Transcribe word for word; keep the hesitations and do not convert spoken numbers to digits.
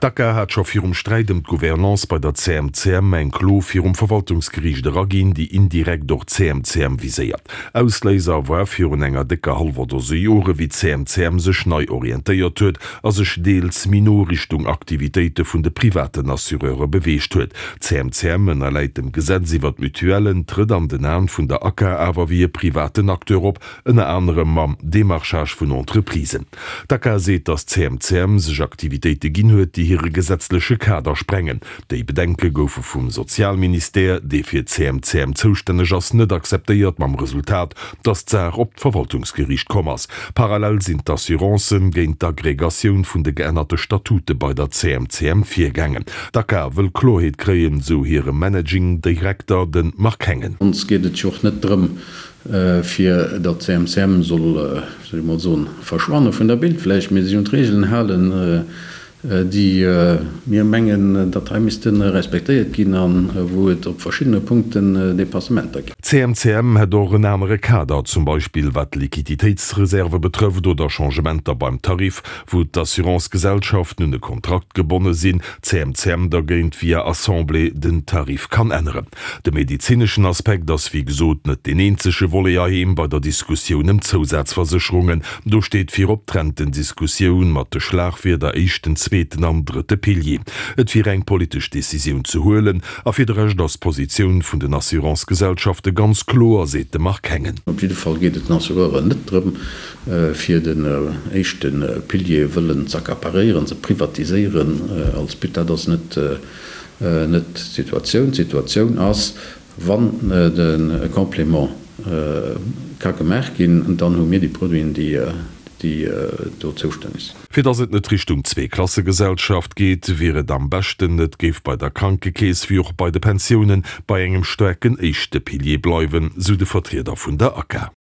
D'ACA hat scho virum Sträit ëm d'Gouvernance bei der C M C M eng Klo virum Verwaltungsgeriicht eraginn, déi indirekt och d'C M C M viséiert. Ausléiser war virun enger décker hallwer Dose Jore wéi d'C M C M sech nei orientéiert huet a sech deels méi no Richtung Aktivitéite vun de privaten Assureure beweegt huet. D'C M C M ënnerläit dem Gesetz iwwer d'Mutuellen, trëtt an den Aen vun der ACA awer wéi e privaten Acteur op, ënner anerem mam Demarchage vun Entreprisen. D'ACA seet, datt d'C M C M sech Aktivitéite ginn huet, déi hire gesetzleche Kader sprengen. Déi Bedenke goufe vum Sozialministère, dee fir d'C M C M zoustänneg ass, net akzeptéiert, mam Resultat, datt d'Saach op d'Verwaltungsgeriicht komm ass. Parallel sinn d'Assurancen géint d'Agregatioun vun de geännerte Statute bei der C M C M virgaangen. D'ACA wëll Kloerheet kréien, sou hire Managing Direkter, de Marc Hengen. Ons geet et jo och net drëm, fir datt d'C M C M soll, wéi soll ech mol soen, verschwanne vun der Bildfläch, mee sech un d'Regeln halen, déi mir mengen, datt hei misste respektéiert ginn a wou et op verschiddene Punkten Dépassementer ginn. D'C M C M hätt och en anere Kader, zum Beispill wat d'Liquiditéitsreserve betrëfft oder Changementer beim Tarif, wou d'Assurance-Gesellschaften un e Kontrakt gebonne sinn, d'C M C M dergéint via Assemblée den Tarif kann änneren. De medezineschen Aspekt ass wéi gesot net deen eenzege Volet heiheem bei der Diskussioun ëm d'Zousazversécherungen. Do steet virop d'Rentendiskussioun mat de Schlagwierder éischten, zweeten an drëtte Pilier. Et wier eng politesch Decisioun ze huelen a fir de Rescht ass d'Positioun vun den Assurance-Gesellschafte ganz kloer, seet de Marc Hengen. Op jidde Fall geet et den Assureuren net drëm, fir den éischte Pilier wëllen z'accaparéieren, ze privatiséieren als But. Dat ass net d'Situatioun. D'Situatioun ass, wann de Complément ka gemaach ginn, dann hu mir déi Produiten, déi do zoustänneg sinn. Fir datt et net Richtung Zweeklassegesellschaft geet, wier et am beschten, et géif bei der Krankekeess wéi och bei de Pensiounen bei engem staarken éischte Pilier bleiwen, sou de Vertrieder vun der ACA.